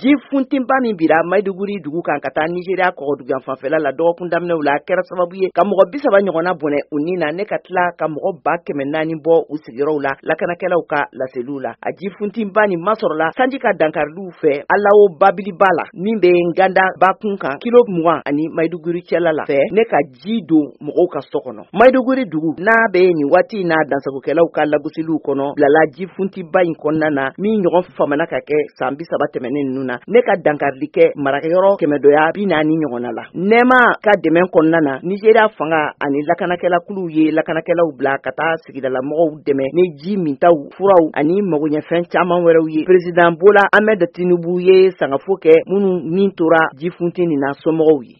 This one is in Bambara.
Ji funtenba min bira Maiduguri dugu kan ka taa Nigeria kɔgɔduguyan fanfɛla la dɔgɔkun daminɛw la, a kɛra sababu ye ka mɔgɔ 30 ɲɔgɔnna bɔnɛ u ni na, ne ka tila ka mɔgɔ 400,000 bɔ u sigiyɔrɔw la, lakanakɛlaw ka laseliw la. A ji funtenba nin masɔrɔla sanji ka dankariliw fɛ Alawo babiliba la min bɛ Nganda bakun kan, kilo 20 ani Maiduguri cɛla la fɛ, ne ka ji don mɔgɔw ka so kɔnɔ. Maiduguri dugu n'a bɛ nin waati in na dansagokɛlaw ka lagosiliw kɔnɔ, bilala ji funtiba in kɔnɔna na min ɲɔgɔn famana ka kɛ san 30 tɛmɛnen ninnu na, ne ka dankarili kɛ marakɛyɔrɔ 140 ɲɔgɔnna la. Nɛma ka dɛmɛ kɔnɔna na, Nigeria fanga ani lakanakɛlakuluw ye lakanakɛlaw bila ka taa sigidalamɔgɔw dɛmɛ ni ji mintaw, furaw ani magoɲɛfɛn caman wɛrɛw ye. Président Bola Ahmed Tinubu ye sangafo kɛ minnu ni tora ji funti nin na somɔgɔw ye.